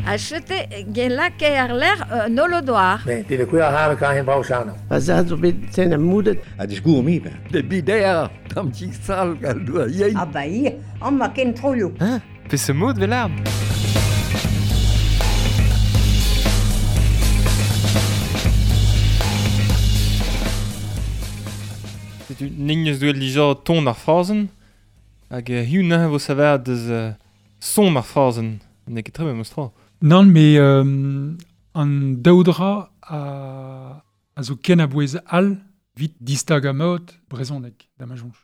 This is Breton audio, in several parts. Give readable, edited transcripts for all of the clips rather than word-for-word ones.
A chete gen lake ar ler nolodoar. Ne, de kuer har ka hen brau chano. Pa za zo bet sen am moudet. A disgour mi ben. De bider, tam ti sal gal doa yein. Ah ba ir, an ma ken troioù. Hein? Pe se mod vel arm? Setu nin eus duet lija ton ar frazen, hag hiu nahe vo saver deus son ar frazen. N'eo ket tre memes tra. Nann, me an daoudra a zo ken a bouez all vit distag a mod brezhoneg da ma soñj.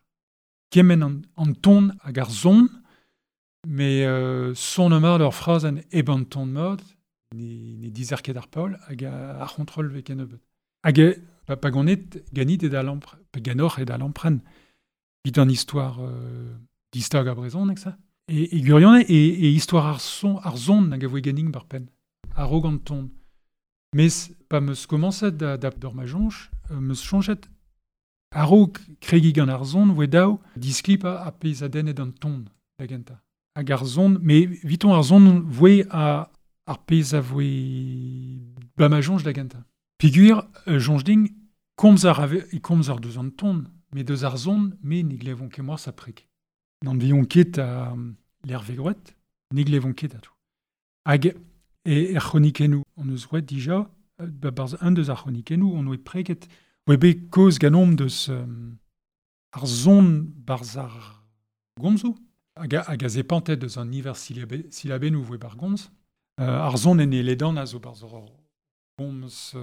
Kement an ton hag ar son, me son mat ur frazenn eb an ton mod, ne dizer ket ar paol hag ar c'hontrol ve ken nebeut. Hag pa ganet ganit e da lampr, pa ganoc'h e da lampren, vit an histoire distag a brezhoneg ça. E gurion e histoire ar son ar zon hag a voe ganing bar pen, a-raok an ton. Mes pa meus komañset da d'or ma soñj, meus soñjet a-raok kregi gant ar zon voe daou disklip a pezh a dennet an ton da gentañ. Hag ar zon, me viton ar zon voe ar pezh a voe ba ma soñj da gentañ. Peogwir soñj din komz ar ave, e komz ar deus an ton, me deus ar zon, me ne glevon ket moarz a prek. N'an vion ket a l'Hervé Groet, ne glevon ket a tout. Hag e er c'hronikennoù, on eus roet dija, ba barz un deus ar c'hronikennoù, on oe preket, oe bet koz ganomp deus ar zon barz ar gomzoù, hag a zepantet deus an niver silabennoù voe bar gomz. Ar zon en e ledan a zo barz ar gomz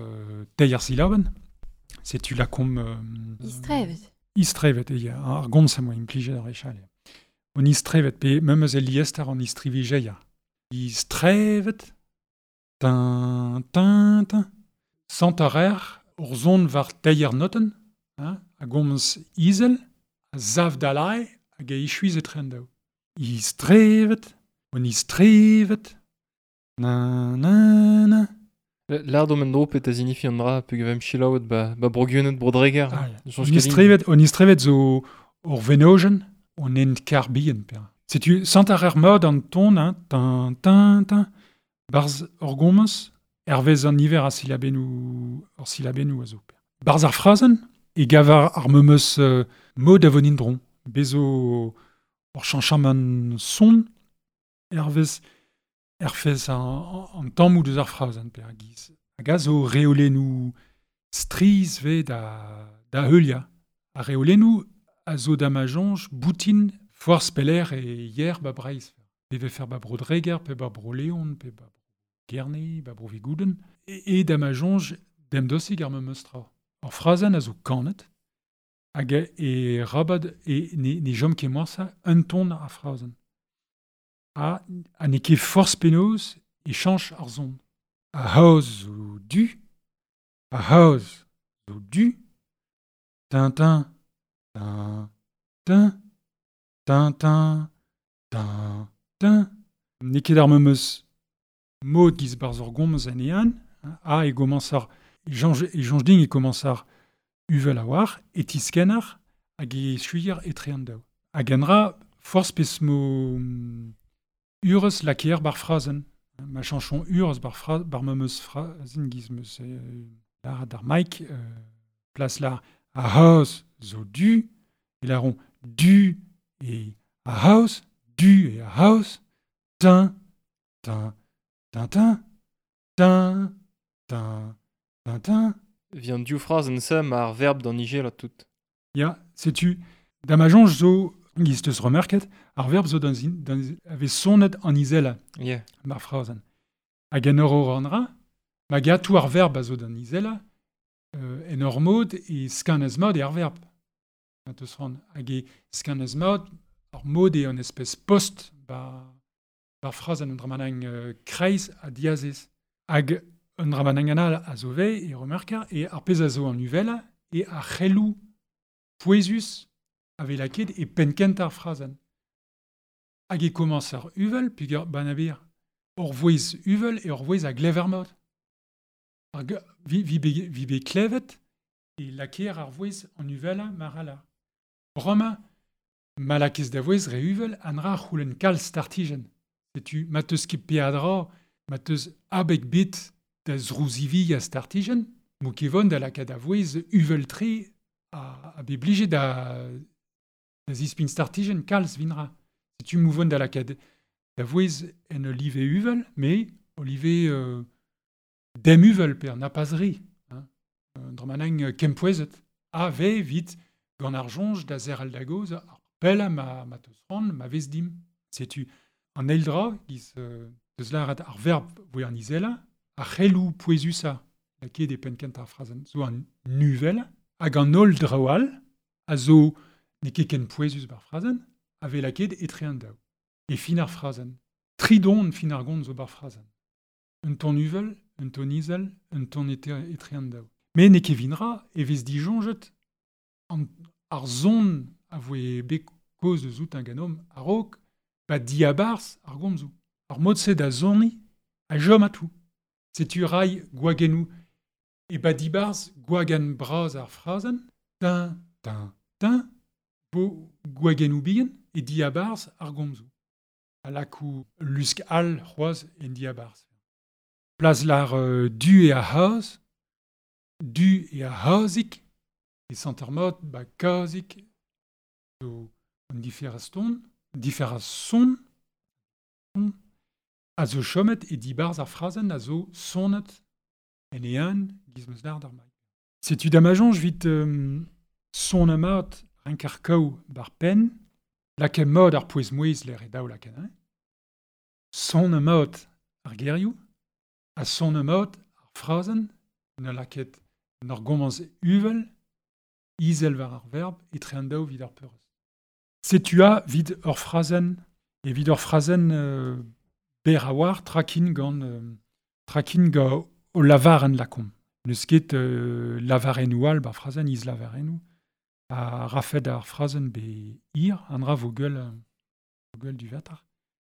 teir silabenn. Setu la kom... Istrevet. Istrevet, e ya, ar gomz a moa implijet ar echal. On istrevet, pe memes e liester an istrivijeia. Istrevet, tin, tin, tin. Sant ar er, ur zon war teir noten, hein, a gomz izel, a zav dalai, hag a ichuiz e tren daou. Istrevet, on istrevet, na, na, na. L'art men dro pet a zinifi an dra, pe gavem chilaouet ba broguenet brodreger. Ah, ya. Soñj On ket din. istrevet zo ur venojen, on ent kar bihan, per. Setu, sant ar er mod an ton, hein, tin, tin, tin, barz ur gomz, hervez an niver a silabennoù, ur silabennoù a zo, per. Barz ar frazenn, e gav ar memes mod a vonin dron. Bezo ur chañchamant son, hervez erfez an tammoù deus ar frazenn, per a giz. Hag a zo reolennoù striz ve da heuliañ. Ar reolennoù a zo da ma soñj boutin forzh peler e yer ba Breizh. Pe vefer ba Bro-Dreger, pe ba Bro-Leon, pe ba Gerne, ba Bro-Vigouden. E da ma soñj demdosig ar memes tra. Ar frazenn a zo kanet, hag e rabad e ne chom ket morsa un ton ar frazenn. A ne ket forzh penaos e chañch ar zon. A haoz zo du, a haoz zo du, tintin, tin, tin, tin, tin, tin, tin. N'eo ket ar memes mod giz barz ur gomz en ean, hein, a e gomañs ar, e soñj din e komañs ar uvel a war, e tiskennar hag e suier etre an daou. Hag en ra forzh pez mo urez lakeer bar frazenn. Ma chañchon urez bar memes frazenn giz meus lar d'ar Mike, plas lar a haoz zo du, e laron du e a haoz, du e a haoz, tin, tin, tin, tin, tin, tin, tin, tin. Vient du phrasen se ma ar verb d'an ije la tout. Ya, setu, da ma soñj zo, giz teus remerket, ar verb zo dans in, dans, ave sonet an izela. Yeah. Mar phrasen. Hag en ur an ra, ma gatou ar verb a zo d'an izela, en ur mod e skanez mod e ar verb. Ma teus ran, hag e skanez mod, ar mod e an espèce post ba phrasen an dramanang kreiz a diazez. Hag un dramanang anal a zo ve e remerka, e ar pezh a zo an uvela e ar c'helloù pouezus a ve laket e pennkent ar phrasen. Hag e komañs ar uvel, peogwir banabir, ur vouezh uvel e ur vouezh a glever mod. Ar vi, vi be, vi be klevet e lakeer ar vouezh an uvela mar ala. Bremañ, ma lakez da vouezh re uvel an ra c'houlenn kalz startijenn. Setu ma teus ket peadra Ma teus abeg bit da zrouzivi a startijen, mo kevon da lakaat a vouez uvel tre a be blije da zispin startijen kalz vinra. Setu mouvon da lakaat da vouez en olive uvel, me olive dem uvel per na pas re. Hein. Dra kempouezet. A ve vit gant ar jonj da zer al da goz ar pella ma teus ran, ma vez dim. Setu an eil dra giz deus larat ar verb voe an izela, ar c'helou pouezusa laket e penn kent ar frazenn zo an nuvel hag an holl draoù all a zo n'eo ket ken pouezus bar frazenn a vez laket etre an daou. E fin ar frazenn. Tri don fin ar gont zo bar frazenn. Un ton uvel, un ton izel, un ton etre an daou. Me n'eo ket vinra e vez dijonjet an ar zon a voe bet koz eus out un ganom a-raok ba diabarz ar gomzoù. Ar mod-se da zoni a jom a tout. Setu rai gwagennou e ba dibarz gwagen braz ar frazenn, tin, tin, tin, bo gwagennou bihan e diabarz ar gomzoù. A lakou lusk all c'hoaz en diabarz. Plas lar du e a c'haz, du e a c'hazik, e santermod ba kazik, zo an diferaz ton, diferaz son, a zo chomet e dibarz ar frazenn a zo sonet en e an giz meus lard ar mail. Setu damajonj vit son amat renkar kaou bar pen, laket mod ar pouez mouez l'air e daou laket, hein? Son amat ar gerioù, a son amat ar frazenn, na laket n'ar gomans uvel, izel war ar verb, etre an daou vid ar peurez. Setu a vid ur frazenn, e vid ur frazenn ber a war trakin gant trakin gant o lavaren lakom. Neus ket lavarennou all bar frazenn, iz lavarennou. A rafet ar frazenn be ir, an ra vo gueul du vatar.